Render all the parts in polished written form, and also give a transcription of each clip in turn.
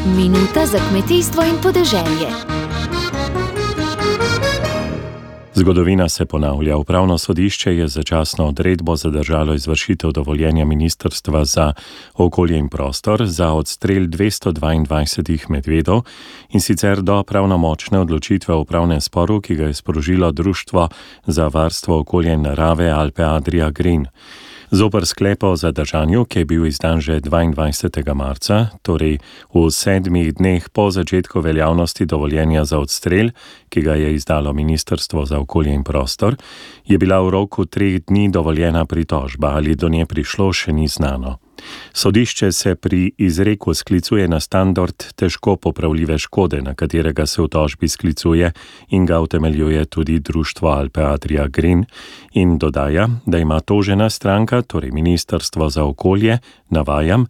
Minuta za kmetijstvo in podeželje. Zgodovina se ponavlja. Upravno sodišče je začasno odredbo zadržalo izvršitev dovoljenja Ministrstva za okolje in prostor za odstrel 222 medvedov, in sicer do pravnomočne odločitve v upravnem sporu, ki ga je sprožilo Društvo za varstvo okolja in narave Alpe Adria Green. Zoper sklep o zadržanju, ki je bil izdan že 22. marca, torej v 7 dneh po začetku veljavnosti dovoljenja za odstrel, ki ga je izdalo Ministrstvo za okolje in prostor, je bila v roku 3 dni dovoljena pritožba, ali do nje prišlo, še ni znano. Sodišče se pri izreku sklicuje na standard težko popravljive škode, na katerega se v tožbi sklicuje in ga utemeljuje tudi Društvo Alpe Adria Green, in dodaja, da ima tožena stranka, torej Ministrstvo za okolje, navajam,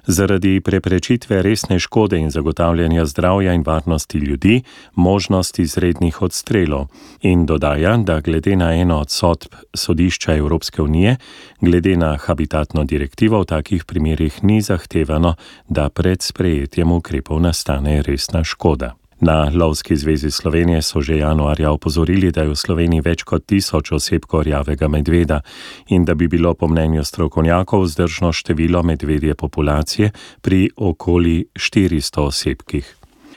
zaradi preprečitve resne škode in zagotavljanja zdravja in varnosti ljudi možnost izrednih odstrelov, in dodaja, da glede na eno od sodb Sodišča Evropske unije, glede na habitatno direktivo v takih primerih ni zahtevano, da pred sprejetjem ukrepov nastane resna škoda. Na Lovski zvezi Slovenije so že januarja opozorili, da je v Sloveniji več kot 1000 osebkov rjavega medveda in da bi bilo po mnenju strokovnjakov vzdržno število medvedje populacije pri okoli 400 osebkih.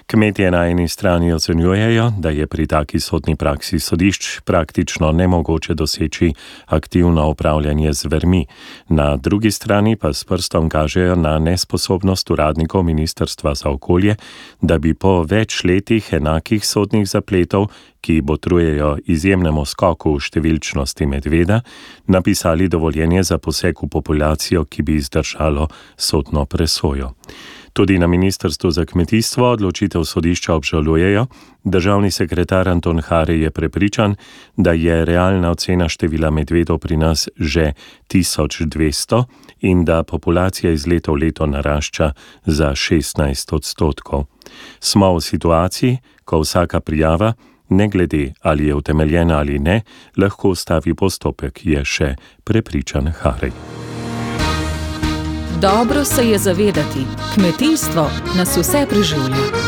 Kmetje na eni strani ocenjujejo, da je pri taki sodni praksi sodišč praktično nemogoče doseči aktivno upravljanje z zvermi. Na drugi strani pa s prstom kažejo na nesposobnost uradnikov Ministrstva za okolje, da bi po več letih enakih sodnih zapletov, ki botrujejo izjemnemu skoku v številčnosti medveda, napisali dovoljenje za poseg v populacijo, ki bi izdržalo sodno presojo. Tudi na Ministrstvu za kmetijstvo odločitev sodišča obžalujejo. Državni sekretar Anton Hari je prepričan, da je realna ocena števila medvedov pri nas že 1200 in da populacija iz leta v leto narašča za 16%. Smo v situaciji, ko vsaka prijava, ne glede ali je utemeljena ali ne, lahko ustavi postopek, je še prepričan Hari. Dobro se je zavedati, kmetijstvo nas vse preživlja.